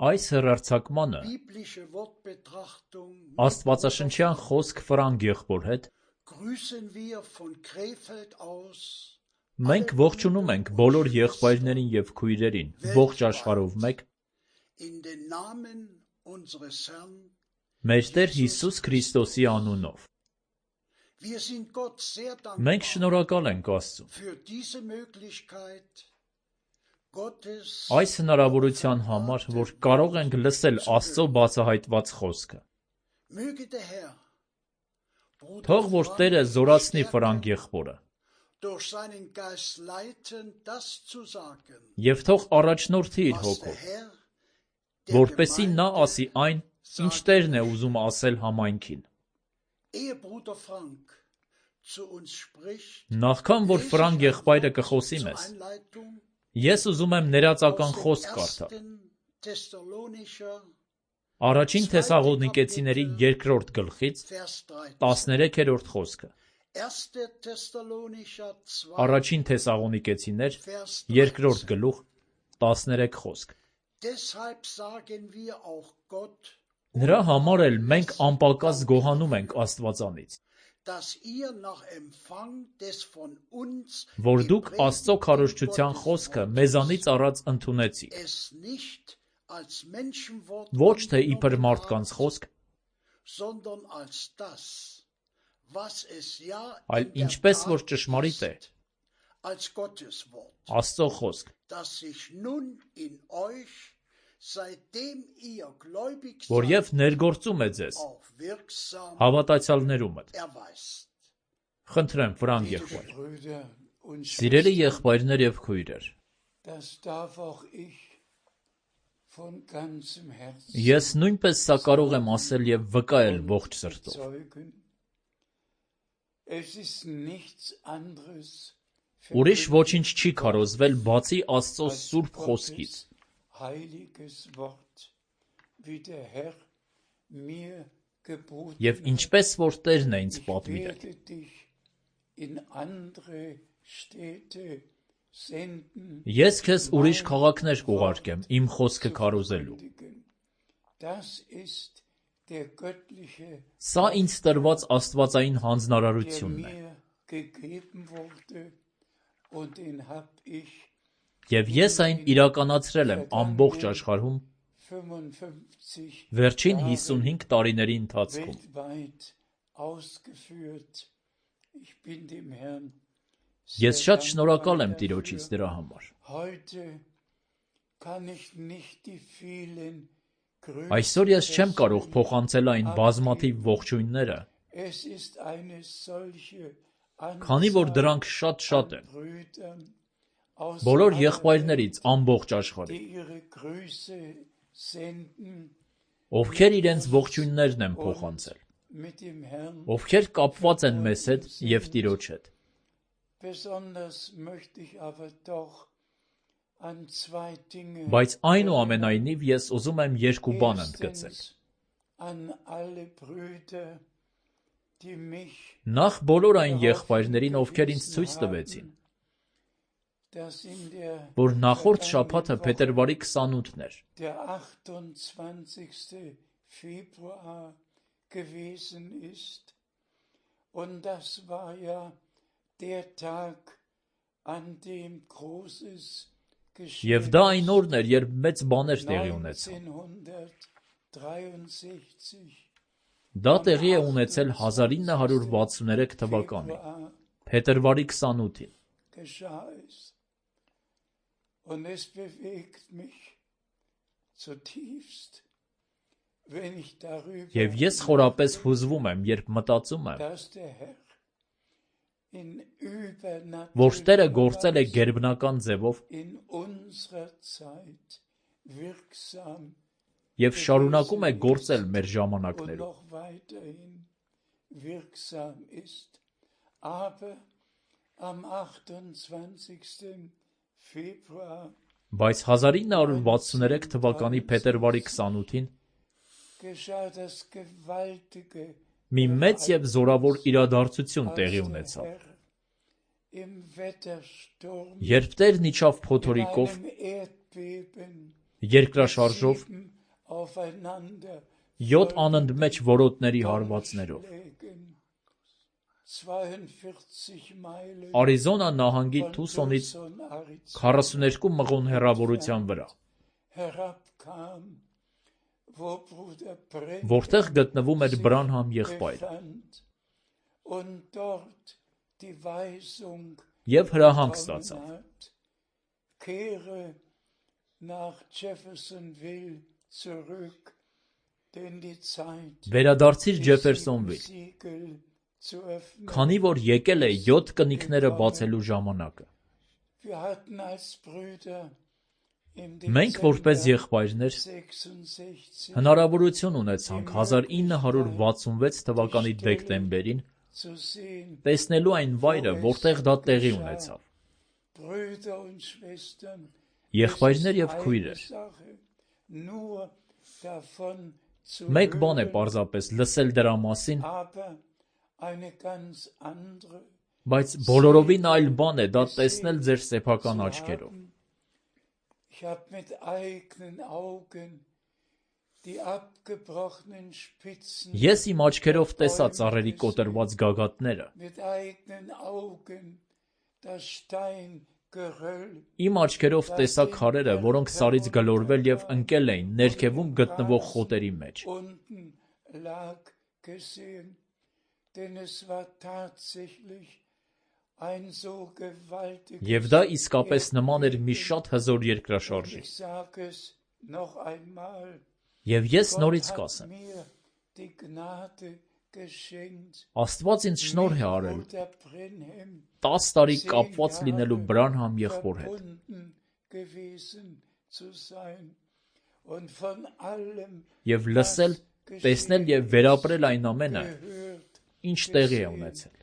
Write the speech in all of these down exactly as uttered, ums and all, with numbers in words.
Այս հեռարձակմանը աստվածաշնչյան խոսք Ֆրանկ եղբոր հետ մենք ողջունում ենք բոլոր եղբայրներին և քույրերին ողջ աշխարհով մեկ մեր Տեր Հիսուս Քրիստոսի անունով։ Մենք շնորհակալ ենք Աստծուն այս հնարավորության համար, որ կարող ենք լսել Աստծո բացահայտված խոսքը։ Թող որ Տերը զորացնի Ֆրանկ եղբորը և թող առաջնորդի իր հոգով, որպեսզի նա ասի այն, ինչ Տերն է ուզում ասել համայնքին։ Նախքան որ Ֆրանկ եղբայրը կխոսի մեզ, ես ուզում եմ ներածական խոսք կարդալ։ Առաջին Թեսաղոնիկեցիների երկրորդ գլխից տասներեքերորդ խոսքը։ Առաջին Թեսաղոնիկեցիներ երկրորդ գլուխ տասներեք խոսք։ Նրա համար էլ մենք անպակաս գոհանում ենք Աստվածանից, որ դուք Աստծո քարոզչության խոսքը մեզանից առաջ ընդունեցիք, ոչ թե իբր մարդկանց խոսք, այլ ինչպես որ ճշմարիտ է, Աստծո խոսք, որ և ներգործում է ձեզ հավատացյալներումդ։ Խնդրեմ, Ֆրանկ եղբայր։ Սիրելի եղբայրներ և քույրեր, ես նույնպես սա կարող եմ ասել և վկայել ողջ սրտով։ Ուրիշ ոչինչ չի քարոզվել բացի Աստծո սուրբ խոսքից։ Եվ ինչպես որ Տերն է ինձ պատվիրել։ Ես քեզ ուրիշ քաղաքներ կուղարկեմ իմ խոսքը քարոզելու։ Սա ինձ տրված աստվածային հանձնարարությունն է։ Եվ ես այն իրականացրել եմ ամբողջ աշխարհում վերջին հիսունհինգ տարիների ընթացքում։ Ես շատ շնորհակալ եմ Տիրոջից դրա համար։ Այսօր ես չեմ կարող փոխանցել այն բազմաթիվ ողջույնները, քանի որ դրանք շատ-շատ են, բոլոր եղբայրներից ամբողջ աշխարհում, ովքեր իրենց ողջույններն են փոխանցել, ովքեր կապված են մեզ հետ և Տիրոջ հետ։ Բայց այնուամենայնիվ ես ուզում եմ երկու բան ընդգծել։ Նախ բոլոր այն եղբայրներին, ովքեր ինձ ցույց տվեցին, որ նախորդ շաբաթը փետրվարի քսանութն էր, և դա այն օրն էր, երբ մեծ բաներ տեղի ունեցան։ Դա տեղի է ունեցել հազար ինը հարյուր վաթսուներեք թվականին, փետրվարի քսանութին։ Եվ ես խորապես հուզվում եմ, երբ մտածում եմ, որ Տերը գործել է գերբնական ձևով և շարունակում է գործել մեր ժամանակներում։ Բայց հազար ինը հարյուր վաթսուներեք թվականի փետրվարի քսանութին մի մեծ և զորավոր իրադարձություն տեղի ունեցավ, երբ Տերն իջավ փոթորիկով երկրաշարժով, յոթ անընդմեջ որոտների հարվածներով։ Արիզոնա նահանգի Թուսոնից քառասուներկու մղոն հեռավորության վրա, որտեղ գտնվում էր Բրանհամ եղբայրը, և հրահանգ ստացավ. վերադարձիր Ջեֆերսոնվիլ, քանի որ եկել է յոթ կնիկները բացելու ժամանակը։ Մենք որպես եղբայրներ հնարավորություն ունեցանք հազար ինը հարյուր վաթսունվեց թվականի դեկտեմբերին տեսնելու այն վայրը, որտեղ դա տեղի ունեցավ։ Եղբայրներ և քույրեր, մեկ բան է պարզապես լսել դրա մասին, բայց բոլորովին այլ բան է դա տեսնել ձեր սեփական աչքերով։ Ես իմ աչքերով տեսա ծառերի կոտրված գագաթները, իմ աչքերով տեսա քարերը, որոնք սարից գլորվել և ընկել էին ներքևում գտնվող խոտերի մեջ։ Եվ դա իսկապես նման էր մի շատ հզոր երկրաշարժի։ Եվ ես նորից կասեմ. Աստված ինձ շնորհ է արել տաս տարի կապված լինելու Բրանհամ եղբոր հետ։ Եվ լսել, տեսնել և վերապրել այն ամենը, ինչ տեղի է ունեցել։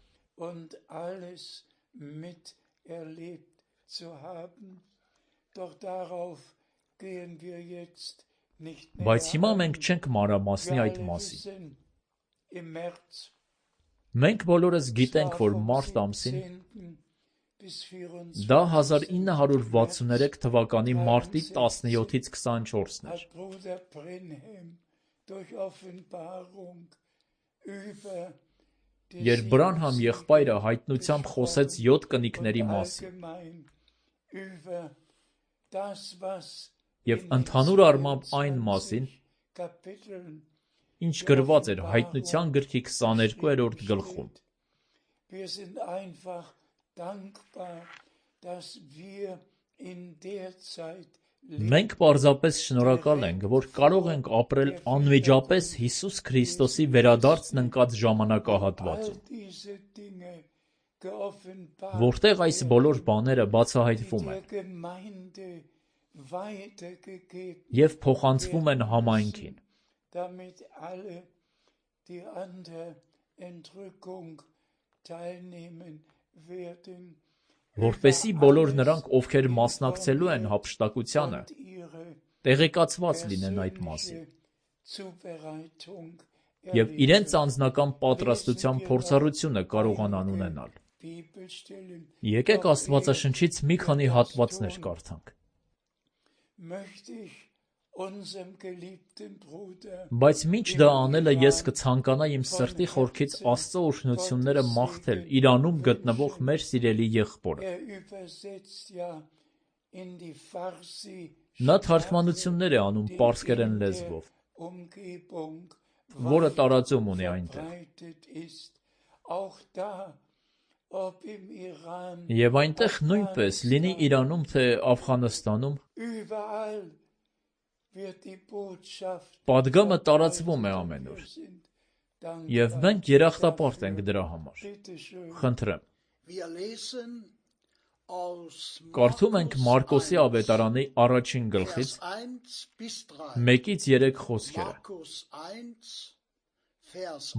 Բայց հիմա մենք չենք մանրամասնի այդ մասին։ Մենք բոլորս գիտենք, որ մարտ ամսին, դա հազար ինը հարյուր վաթսուներեք թվականի մարտի տասնյոթից քսանչորսն էր, երբ Բրանհամ եղբայրը հայտնությամբ խոսեց յոթ կնիկների մասին, և ընդհանուր առմամբ այն մասին, ինչ գրված էր Հայտնության գրքի քսաներկուերորդ գլխում։ Մենք պարզապես շնորհակալ ենք, որ կարող ենք ապրել անմիջապես Հիսուս Քրիստոսի վերադարձն ընկած ժամանակահատվածում, որտեղ այս բոլոր բաները բացահայտվում են և փոխանցվում են համայնքին։ Որպեսզի բոլոր նրանք, ովքեր մասնակցելու են հափշտակությանը, տեղեկացված լինեն այդ մասին և իրենց անձնական պատրաստության փորձառությունը կարողանան ունենալ։ Եկեք Աստվածաշնչից մի քանի հատվածներ կարդանք։ Բայց մինչ դա անելը ես կցանկանայի իմ սրտի խորքից Աստծո օրհնությունները մաղթել իր անուն գտնվող մեր սիրելի եղբորը։ Նա թարգմանություններ է անում պարսկերեն լեզվով, որը տարածում ունի այնտեղ։ Եվ այնտեղ նույնպես, լինի Իրանում, թե Աֆղանստանում, պատգամը տարածվում է ամենուր, և մենք երախտապարտ ենք դրա համար։ Խնդրեմ։ Կարդում ենք Մարկոսի ավետարանի առաջին գլխից մեկից երեք խոսքերը։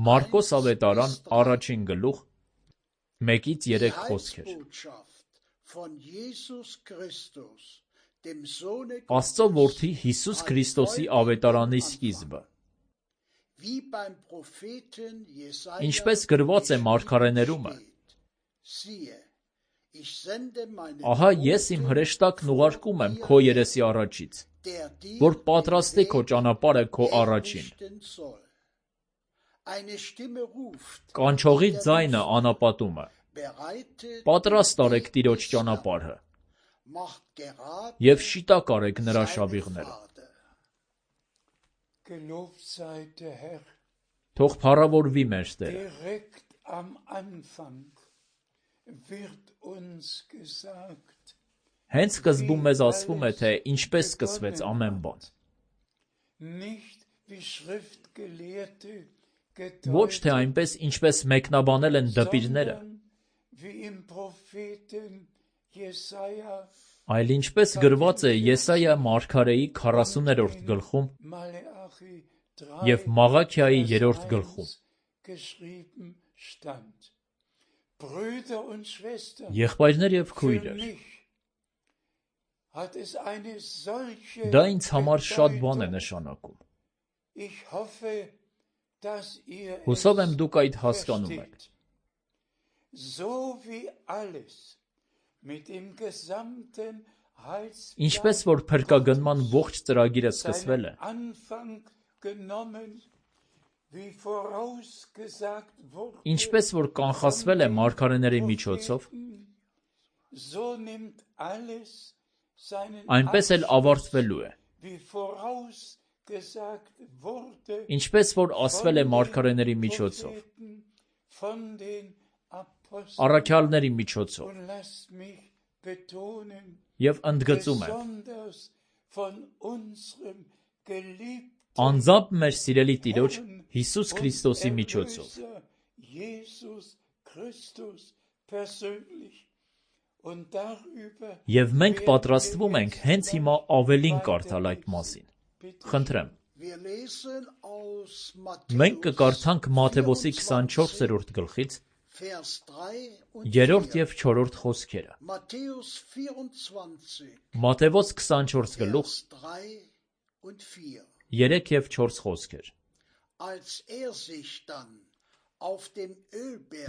Մարկոս ավետարան առաջին գլուխ մեկից երեք խոսքեր։ Աստծո որդի Հիսուս Քրիստոսի ավետարանի սկիզբը։ Ինչպես գրված է մարգարեներումը. Ահա ես իմ հրեշտակն ուղարկում եմ քո երեսի առաջից, որ պատրաստի քո ճանապարհը քո առաջին։ Կանչողի ձայնը անապատում է. պատրաստ արեք Տիրոջ ճանապարհը և շիտակ արեք նրա շավիղները։ Թող փառավորվի մեր Տերը։ Հենց սկզբում մեզ ասվում է, թե ինչպես սկսվեց ամեն բան։ Ոչ թե այնպես, ինչպես մեկնաբանել են դպիրները, այլ ինչպես գրված է Եսայիա մարգարեի քառասուներորդ գլխում և Մաղաքիայի երրորդ գլխում. Եղբայրներ և քույրեր, դա ինձ համար շատ բան է նշանակում։ Հուսով եմ դուք այդ հասկանում եք։ Ինչպես որ փրկագնման ողջ ծրագիրը սկսվել է, ինչպես որ կանխատեսվել է մարգարեների միջոցով, այնպես էլ ավարտվելու է։ Ինչպես որ ասվել է մարգարեների միջոցով, առաքյալների միջոցով, և ընդգծում եմ. անձամբ մեր սիրելի Տիրոջ Հիսուս Քրիստոսի միջոցով։ Եվ մենք պատրաստվում ենք հենց հիմա ավելին կարդալ այդ մասին։ Խնդրեմ։ Մենք կկարդանք Մատթեոս քսանչորսերորդ գլխից երրորդ և չորրորդ խոսքերը։ Մատթեոս քսանչորս գլուխ երեք և չորս խոսքեր։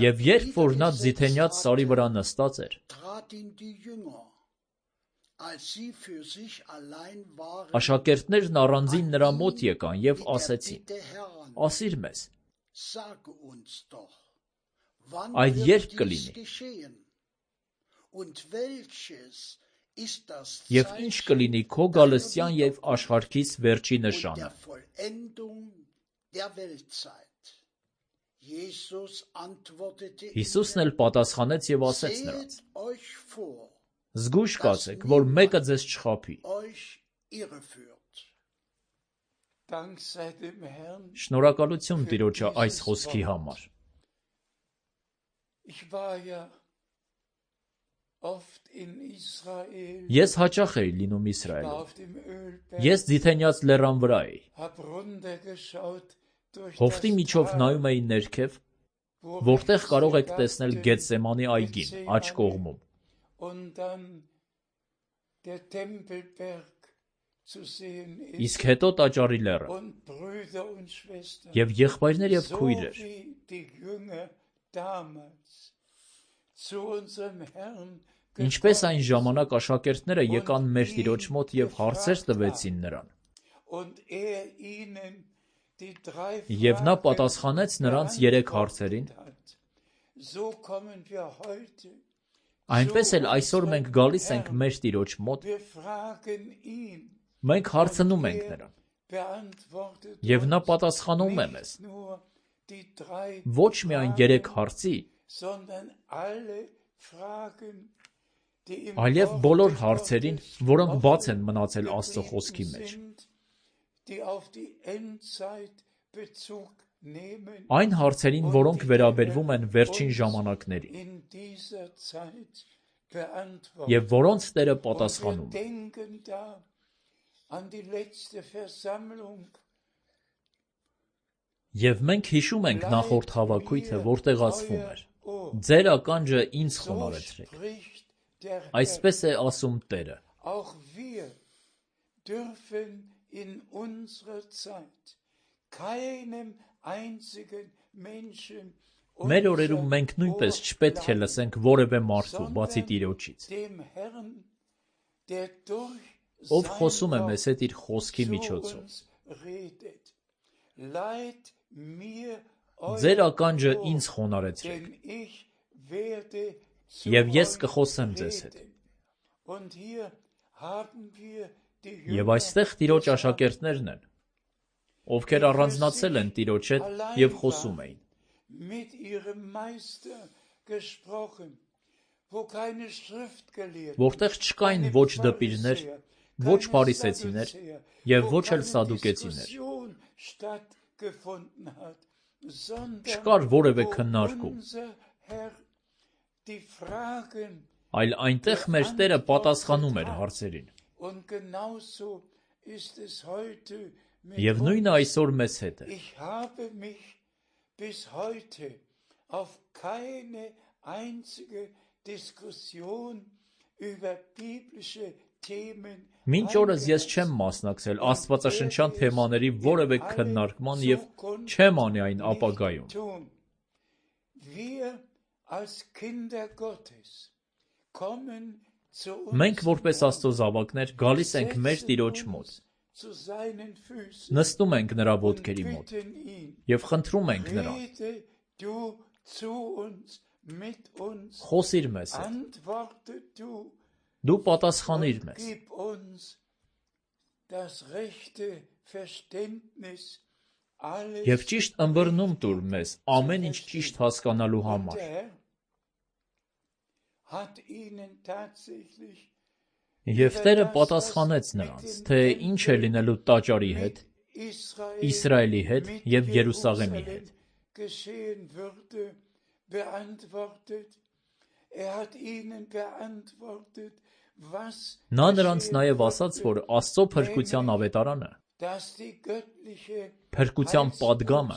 Եվ երբ որ նա ձիթենյաց սարի վրա նստած էր, աշակերտներն առանձին նրա մոտ եկան և ասեցին. ասիր մեզ, այդ երբ կլինի, և ինչ կլինի քո գալստյան և աշխարհքիս վերջի նշանը։ Հիսուսն էլ պատասխանեց և ասեց նրանց. զգույշ կացեք, որ մեկը ձեզ չխաբի։ Շնորհակալություն Տիրոջը այս խոսքի համար։ Ես հաճախ էի լինում Իսրայելում։ Ես Ձիթենյաց լեռան վրա էի։ Հովտի միջով նայում էի ներքև, որտեղ կարող եք տեսնել Գեթսեմանի այգին, աջ կողմում։ Իսկ հետո Տաճարի լեռը։ Եվ եղբայրներ և քույրեր, ինչպես այն ժամանակ աշակերտները եկան մեր Տիրոջ մոտ և հարցեր տվեցին նրան, և նա պատասխանեց նրանց երեք հարցերին, այնպես էլ այսօր մենք գալիս ենք մեր Տիրոջ մոտ, մենք հարցնում ենք նրան, և նա պատասխանում է մեզ, ոչ միայն երեք հարցի, այլև բոլոր հարցերին, որոնք բաց են մնացել Աստծո Խոսքի մեջ։ Այն հարցերին, որոնք վերաբերվում են վերջին ժամանակներին, և որոնց Տերը պատասխանում է։ Եվ մենք հիշում ենք նախորդ հավաքույթը, որտեղ ասվում էր. ձեր ականջը ինձ խոնարհեցրեք։ Այսպես է ասում Տերը։ Մեր օրերում մենք նույնպես չպետք է լսենք որևէ մարդու, բացի Տիրոջից։ ով խոսում է մեզ հետ իր խոսքի միջոցով։ Ձեր ականջը ինձ խոնարհեցրեք, և ես կխոսեմ ձեզ հետ։ Եվ այստեղ Տիրոջ աշակերտներն են, ովքեր առանձնացել են Տիրոջ հետ և խոսում էին։ Որտեղ չկային ոչ դպիրներ, ոչ փարիսեցիներ և ոչ էլ սադուկեցիներ։ Չկար որևէ քննարկում, այլ այնտեղ մեր Տերը պատասխանում էր հարցերին։ Եվ նույնը այսօր մեզ հետ է։ Մինչ օրս ես չեմ մասնակցել աստվածաշնչյան թեմաների որևէ քննարկման և չեմ անի այն ապագայում։ Մենք որպես Աստծո զավակներ գալիս ենք մեր Տիրոջ մոտ, նստում ենք նրա ոտքերի մոտ և խնդրում ենք նրան. խոսիր մեզ հետ, դու պատասխանիր մեզ։ Եվ ճիշտ ըմբռնում տուր մեզ ամեն ինչ ճիշտ հասկանալու համար։ Եվ Տերը պատասխանեց նրանց, թե ինչ է լինելու տաճարի հետ, Իսրայելի հետ և Երուսաղեմի հետ։ Նա նրանց նաև ասաց, որ Աստծո փրկության ավետարանը, փրկության պատգամը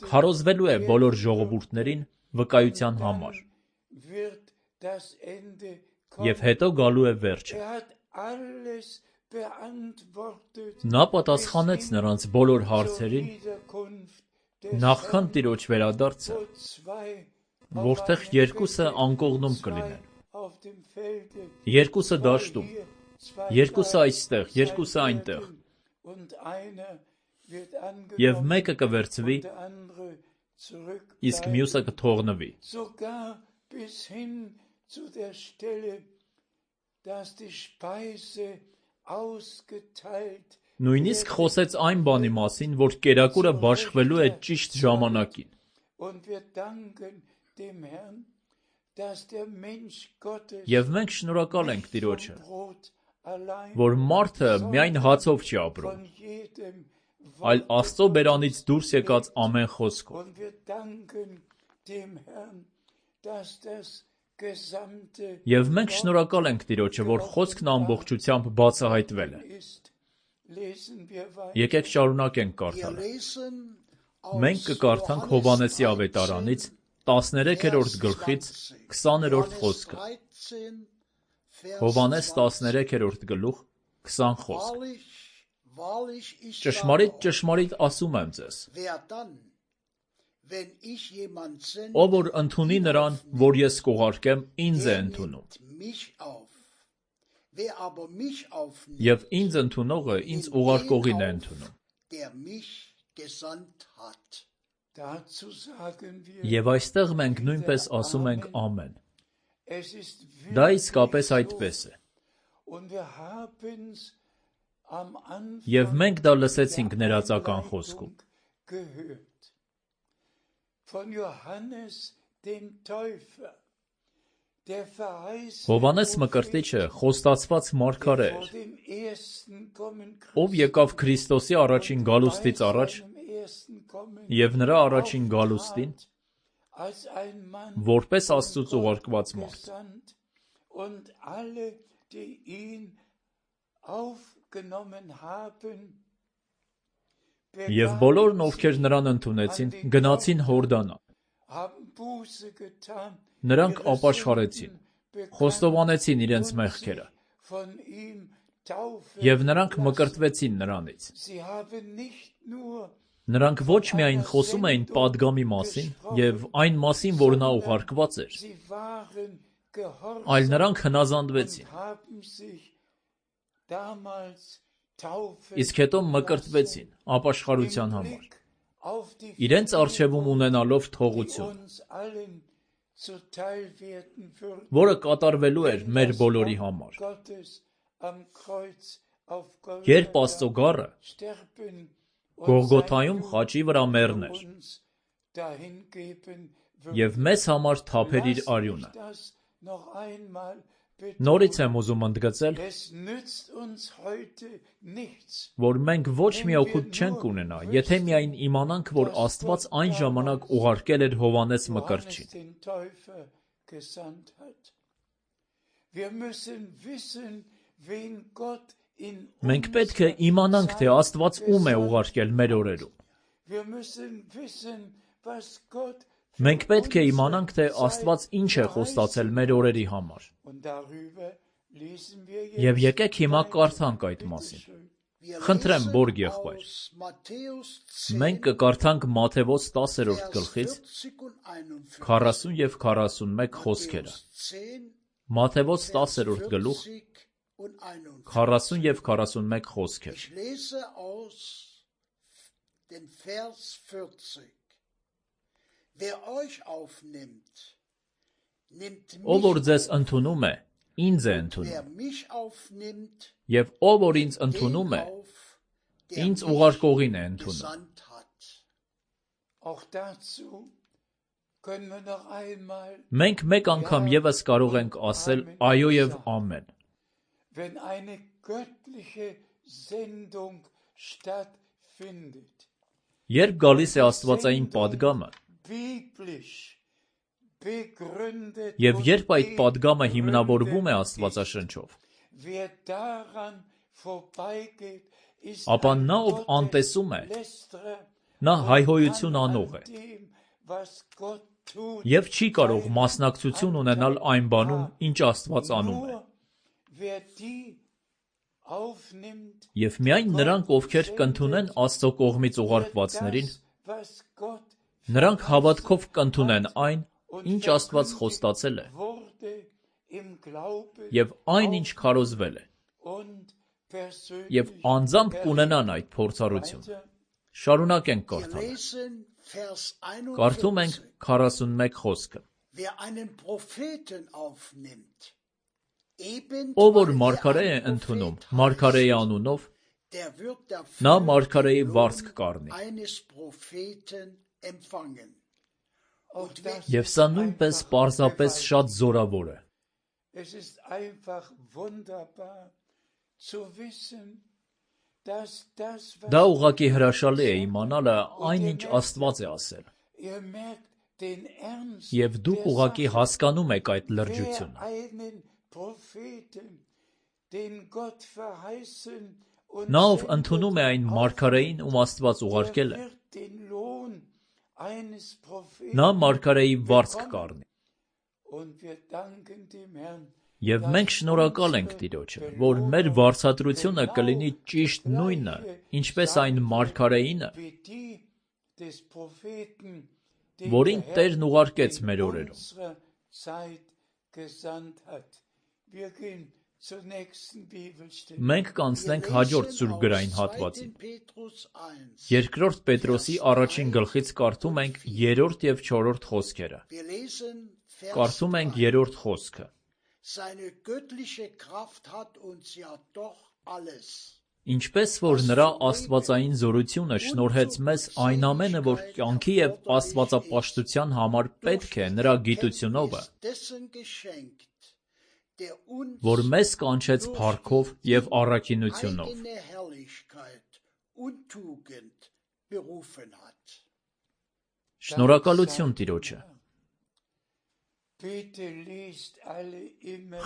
քարոզվելու է բոլոր ժողովուրդներին վկայության համար, և հետո գալու է վերջը։ Նա պատասխանեց նրանց բոլոր հարցերին, նախքան Տիրոջ վերադարձը, որտեղ երկուսը անկողնում կլինեն, երկուսը դաշտում, երկուսը այստեղ, երկուսը այնտեղ, և մեկը կվերցվի, իսկ մյուսը կթողնվի։ Նույնիսկ խոսեց այն բանի մասին, որ կերակուրը բաշխվելու է ճիշտ ժամանակին։ Եվ մենք շնորհակալ ենք Տիրոջը, որ մարդը միայն հացով չի ապրում, այլ Աստծո բերանից դուրս եկած ամեն խոսքով։ Եվ մենք շնորհակալ ենք Տիրոջը, որ խոսքն ամբողջությամբ բացահայտվել է։ Եկեք շարունակենք կարդալը։ Մենք կկարդանք Հովհաննեսի ավետարանից տասներեքերորդ գլխից քսաներորդ խոսքը։ Հովհաննես տասներեքերորդ գլուխ քսան խոսք։ Ճշմարիտ, ճշմարիտ ասում եմ ձեզ. ով որ ընդունի նրան, որ ես կուղարկեմ, ինձ է ընդունում, և ինձ ընդունողը ինձ ուղարկողին է ընդունում։ Եվ այստեղ մենք նույնպես ասում ենք ամեն։ Դա իսկապես այդպես է։ Եվ մենք դա լսեցինք ներածական խոսքում։ Հովհաննես Մկրտիչը խոստացված մարգարե էր, ով եկավ Քրիստոսի առաջին գալուստից առաջ և նրա առաջին գալուստին որպես Աստծուց ուղարկված մարդ։ Եվ բոլորն, ովքեր նրան ընդունեցին, գնացին Հորդանան։ Նրանք ապաշխարեցին, խոստովանեցին իրենց մեղքերը, և նրանք մկրտվեցին նրանից։ Նրանք ոչ միայն խոսում էին պատգամի մասին և այն մասին, որ նա ուղարկված էր, այլ նրանք հնազանդվեցին, իսկ հետո մկրտվեցին ապաշխարության համար, իրենց առջևում ունենալով թողություն, որը կատարվելու էր մեր բոլորի համար։ Երբ Աստծո գառը Գողգոթայում խաչի վրա մեռներ և մեզ համար թափեր իր արյունը, նորից եմ ուզում ընդգծել, որ մենք ոչ մի օգուտ չենք ունենա, եթե միայն իմանանք, որ Աստված այն ժամանակ ուղարկել էր Հովհաննես Մկրտչին։ Մենք պետք է իմանանք, թե Աստված ում է ուղարկել մեր օրերում։ Մենք պետք է իմանանք, թե Աստված ինչ է խոստացել մեր օրերի համար։ Եվ եկեք հիմա կարդանք այդ մասին։ Խնդրեմ, Բորգ եղբայր։ Մենք կկարդանք Մատթեոս տասերորդ գլխից քառասուն և քառասունմեկ խոսքերը։ Մատթեոս տասերորդ գլուխ քառասուն և քառասունմեկ խոսքեր։ Ով որ ձեզ ընդունում է, ինձ է ընդունում, և ով որ ինձ ընդունում է, ինձ ուղարկողին է ընդունում։ Մենք մեկ անգամ ևս կարող ենք ասել այո և ամեն։ Երբ գալիս է աստվածային պատգամը, և երբ այդ պատգամը հիմնավորվում է Աստվածաշնչով, ապա նա, ով անտեսում է, նա հայհոյություն անող է և չի կարող մասնակցություն ունենալ այն բանում, ինչ Աստված անում է։ Եվ միայն նրանք, ովքեր կընդունեն Աստծո կողմից ուղարկվածներին, նրանք հավատքով կընդունեն այն, ինչ Աստված խոստացել է, և այն, ինչ քարոզվել է, և անձամբ կունենան այդ փորձառությունը։ Շարունակենք կարդալը։ Կարդում ենք քառասունմեկ խոսքը։ Ով որ մարգարե է ընդունում մարգարեի անունով, նա մարգարեի վարձք կառնի։ Եվ սա նույնպես պարզապես շատ զորավոր է։ Դա ուղղակի հրաշալի է իմանալը այն, ինչ Աստված է ասել։ Եվ դուք ուղղակի հասկանում եք այդ լրջությունը։ Նա, ով ընդունում է այն մարգարեին, ում Աստված ուղարկել է, նա մարգարեի վարձք կառնի։ Եվ մենք շնորհակալ ենք Տիրոջը, որ մեր վարձատրությունը կլինի ճիշտ նույնը, ինչպես այն մարգարեինը, որին Տերն ուղարկեց մեր օրերում։ Մենք կանցնենք հաջորդ սուրբգրային հատվածին։ Երկրորդ Պետրոսի առաջին գլխից կարդում ենք երրորդ և չորրորդ խոսքերը։ Կարդում ենք երրորդ խոսքը։ Ինչպես որ նրա աստվածային զորությունը շնորհեց մեզ այն ամենը, որ կյանքի և աստվածապաշտության համար պետք է նրա գիտությունովը, որ մեզ կանչեց փառքով և առաքինությունով։ Շնորհակալություն Տիրոջը։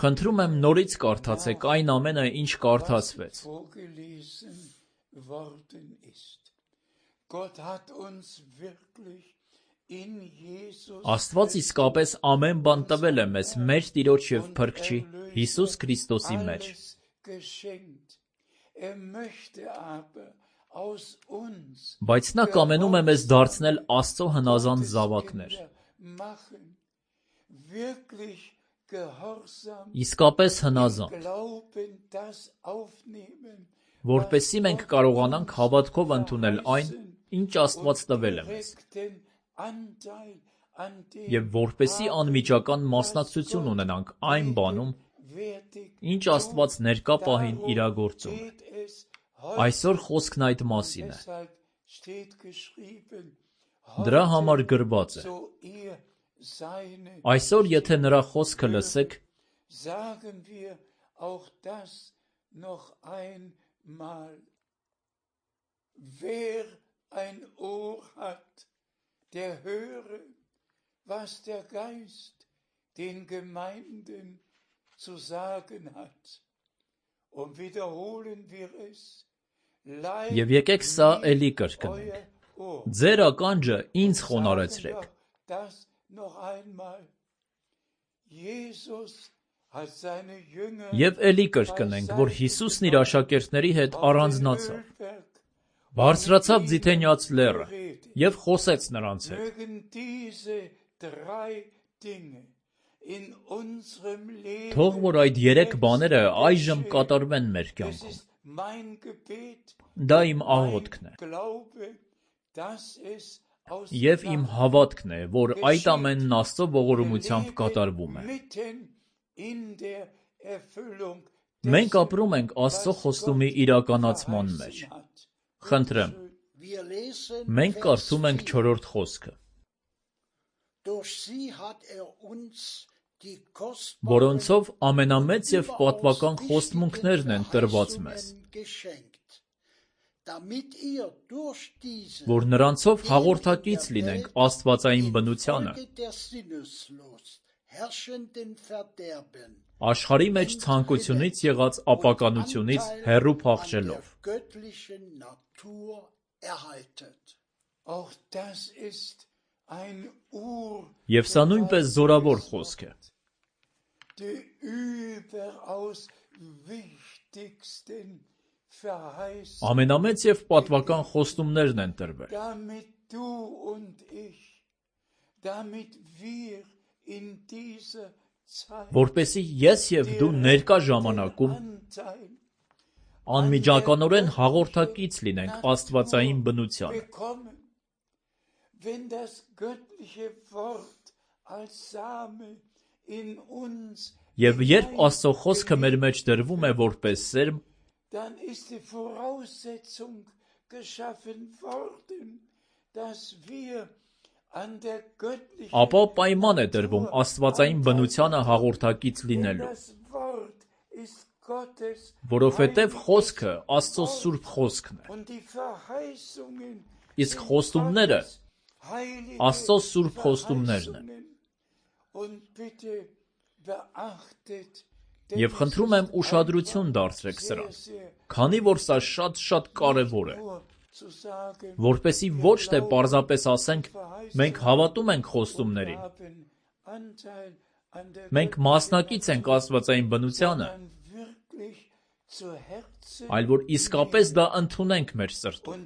Խնդրում եմ նորից կարդացեք այն ամենը, ինչ կարդացվեց։ Աստված իսկապես ամեն բան տվել է մեզ մեր Տիրոջ և Փրկչի Հիսուս Քրիստոսի մեջ։ Բայց նա կամենում է մեզ դարձնել Աստծո հնազանդ զավակներ։ Իսկապես հնազանդ, որպեսզի մենք կարողանանք հավատքով ընդունել այն, ինչ Աստված տվել է մեզ, և որպեսզի անմիջական մասնակցություն ունենանք այն բանում, ինչ Աստված ներկա պահին իրագործում է։ Այսօր խոսքն այդ մասին է։ Դրա համար գրված է. այսօր եթե նրա խոսքը լսեք, Wer ein Ohr hat, der höre, was der Geist den Gemeinden zu sagen hat. Und wiederholen wir es. Եվ եկեք սա էլի կրկնենք. ձեր ականջը ինձ խոնարհեցրեք։ Եվ էլի կրկնենք, որ Հիսուսն իր աշակերտների հետ առանձնացավ, բարձրացավ Ձիթենյաց լեռը և խոսեց նրանց հետ։ Թող որ այդ երեք բաները այժմ կատարվեն մեր կյանքում։ Դա իմ աղոթքն է։ Եվ իմ հավատքն է, որ այդ ամենն Աստծո ողորմությամբ կատարվում է։ Մենք ապրում ենք Աստծո խոստումի իրականացման մեջ։ Խնդրեմ, մենք կարդում ենք չորրորդ խոսքը, որոնցով ամենամեծ և պատվական խոստմունքներն են տրված մեզ, որ նրանցով հաղորդակից լինենք աստվածային բնությանը, աշխարհի մեջ ցանկությունից եղած ապականությունից հեռու փախչելով։ Եվ սա նույնպես զորավոր խոսք է։ Ամենամեծ և պատվական խոստումներն են տրվել, որպեսզի ես և դու ներկա ժամանակում անմիջականորեն հաղորդակից լինենք աստվածային բնությանը։ Եվ երբ Աստծո խոսքը մեր մեջ դրվում է որպես սերմ, ապա պայման է դրվում աստվածային բնությանը հաղորդակից լինելու, որովհետև խոսքը Աստծո սուրբ խոսքն է, իսկ խոստումները Աստծո սուրբ խոստումներն են։ Եվ խնդրում եմ ուշադրություն դարձրեք սրան, քանի որ սա շատ-շատ կարևոր է, որպեսզի ոչ թե պարզապես ասենք մենք հավատում ենք խոստումներին, մենք մասնակից ենք աստվածային բնությանը, այլ որ իսկապես դա ընդունենք մեր սրտում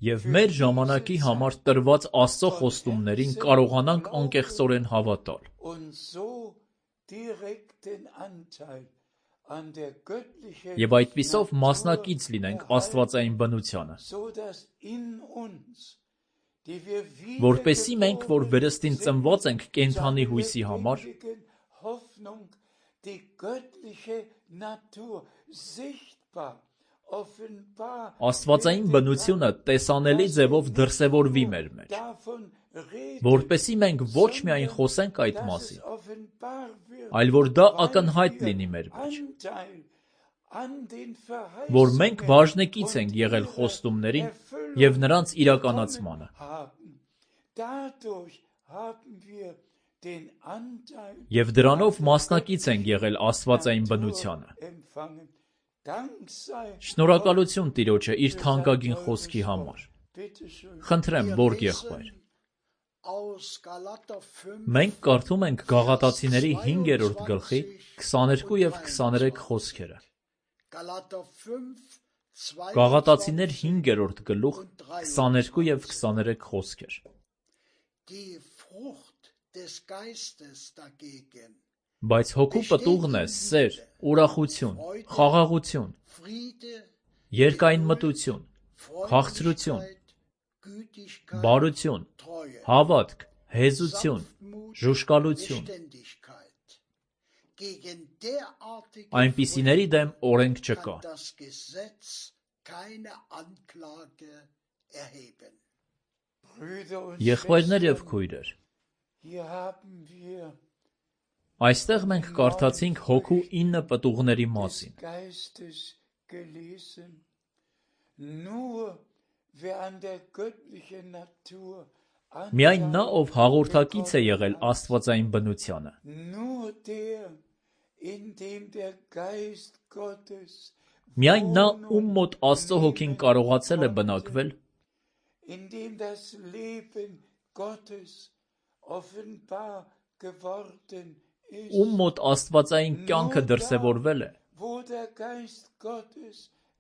և մեր ժամանակի համար տրված Աստծո խոստումներին կարողանանք անկեղծորեն հավատալ։ Եվ այդպիսով մասնակից լինենք աստվածային բնությանը, որպեսզի մենք, որ վերստին ծնված ենք կենդանի հույսի համար, աստվածային բնությունը տեսանելի ձևով դրսևորվի մեր մեջ, որպեսզի մենք ոչ միայն խոսենք այդ մասին, այլ որ դա ակնհայտ լինի մեր մեջ, որ մենք բաժնեկից ենք եղել խոստումներին և նրանց իրականացմանը։ Եվ դրանով մասնակից ենք եղել աստվածային բնությանը։ Շնորհակալություն Տիրոջը իր թանկագին խոսքի համար։ Խնդրեմ, Բորգ եղբայր։ Մենք կարդում ենք Գաղատացիների հինգերորդ գլխի քսաներկու և քսաներեք խոսքերը։ Գաղատացիներ հինգերորդ գլուխ քսաներկու և քսաներեք խոսքեր։ Բայց հոգու պտուղն է սեր, ուրախություն, խաղաղություն, երկայնմտություն, քաղցրություն, բարություն, հավատք, հեզություն, ժուժկալություն։ Այնպիսիների դեմ օրենք չկա։ Եղբայրներ և քույրեր, այստեղ մենք կարդացինք հոգու ինը պտուղների մասին։ Միայն նա, ով հաղորդակից է եղել աստվածային բնությանը, միայն նա, ում մոտ Աստծո հոգին կարողացել է բնակվել, ում մոտ աստվածային կյանքը դրսևորվել է,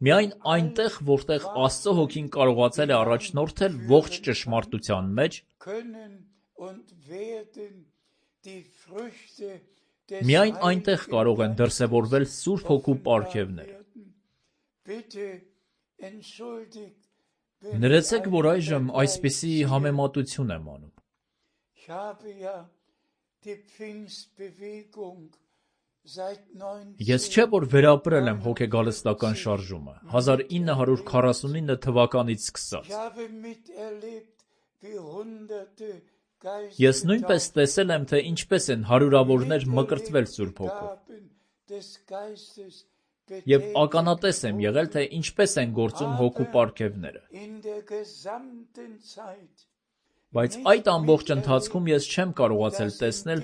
միայն այնտեղ, որտեղ Աստծո հոգին կարողացել է առաջնորդել ողջ ճշմարտության մեջ, միայն այնտեղ կարող են դրսևորվել Սուրբ Հոգու պարգևները։ Ներեցեք, որ այժմ այսպիսի համեմատություն եմ անում։ Ես չէ, որ վերապրել եմ հոգեգալստական շարժումը հազար ինը հարյուր քառասունինը թվականից սկսած։ Ես նույնպես տեսել եմ, թե ինչպես են հարյուրավորներ մկրտվել Սուրբ Հոգով։ Եվ ականատես եմ եղել, թե ինչպես են գործում հոգու պարգևները։ Բայց այդ ամբողջ ընթացքում ես չեմ կարողացել տեսնել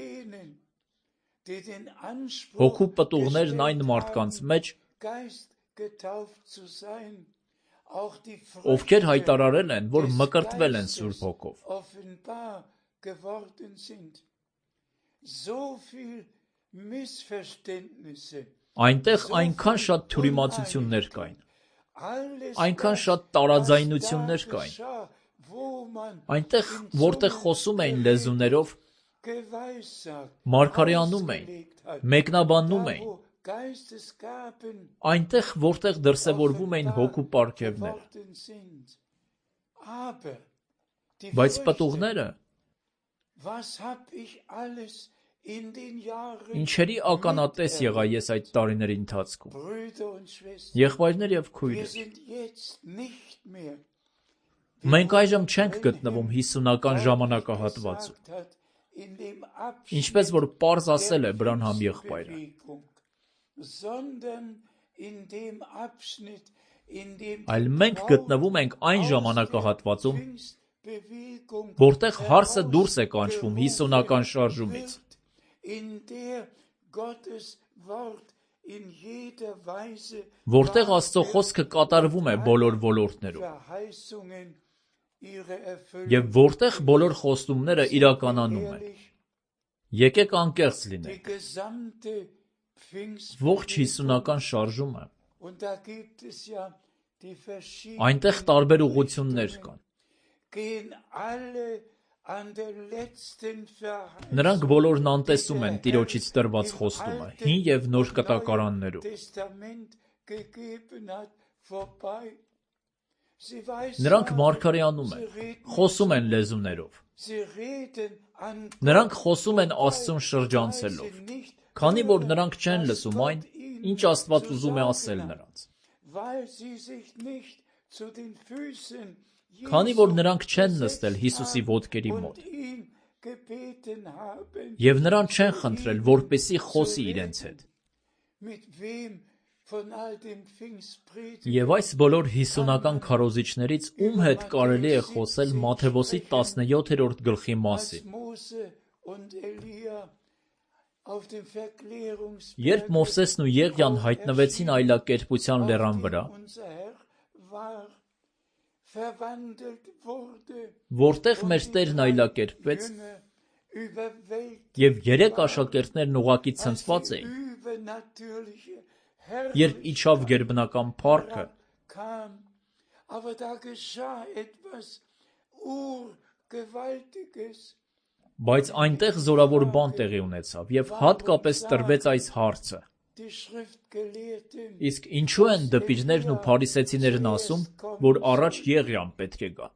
հոգու պտուղներն այն մարդկանց մեջ, ովքեր հայտարարել են, որ մկրտվել են Սուրբ Հոգով։ Այնտեղ այնքան շատ թյուրիմացություններ կային, այնքան շատ տարաձայնություններ կային, այնտեղ, որտեղ խոսում էին լեզուներով, մարգարեանում էին, մեկնաբանում էին, այնտեղ, որտեղ դրսևորվում էին հոգու պարգևները։ Բայց պտուղները, ինչերի ականատես եղա ես այդ տարիների ընթացքում։ Եղբայրներ և քույրեր, մենք այժմ չենք գտնվում հիսունական ժամանակահատվածում, ինչպես որ պարզ ասել է Բրանհամ եղբայրը, այլ մենք գտնվում ենք այն ժամանակահատվածում, որտեղ հարսը դուրս է կանչվում հիսունական շարժումից, որտեղ Աստծո խոսքը կատարվում է բոլոր ոլորտներում, և որտեղ բոլոր խոստումները իրականանում են։ Եկեք անկեղծ լինենք։ Ողջ հիսունական շարժումը, այնտեղ տարբեր ուղղություններ կան։ Նրանք բոլորն անտեսում են Տիրոջից տրված խոստումը հին և նոր կտակարաններում։ Նրանք մարգարեանում են, խոսում են լեզուներով։ Նրանք խոսում են Աստծուն շրջանցելով, քանի որ նրանք չեն լսում այն, ինչ Աստված ուզում է ասել նրանց։ Քանի որ նրանք չեն նստել Հիսուսի ոտքերի մոտ և նրան չեն խնդրել, որպեսզի խոսի իրենց հետ։ Եվ այս բոլոր հիսունական քարոզիչներից ում հետ կարելի է խոսել Մատթեոս տասնյոթերորդ գլխի մասին։ Երբ Մովսեսն ու Եղիան հայտնվեցին այլակերպության լեռան վրա, որտեղ մեր Տերն այլակերպվեց, և երեք աշակերտներն ուղղակի ցնցված էին, երբ իջավ գերբնական փառքը, kam, aber da geschah etwas urgewaltiges. բայց այնտեղ զորավոր բան տեղի ունեցավ, եւ հատկապես տրվեց այս հարցը. Die Schriftgelehrten, իսկ ինչու են դպիրներն ու փարիսեցիներն ասում, որ առաջ Եղիան պետք է գա։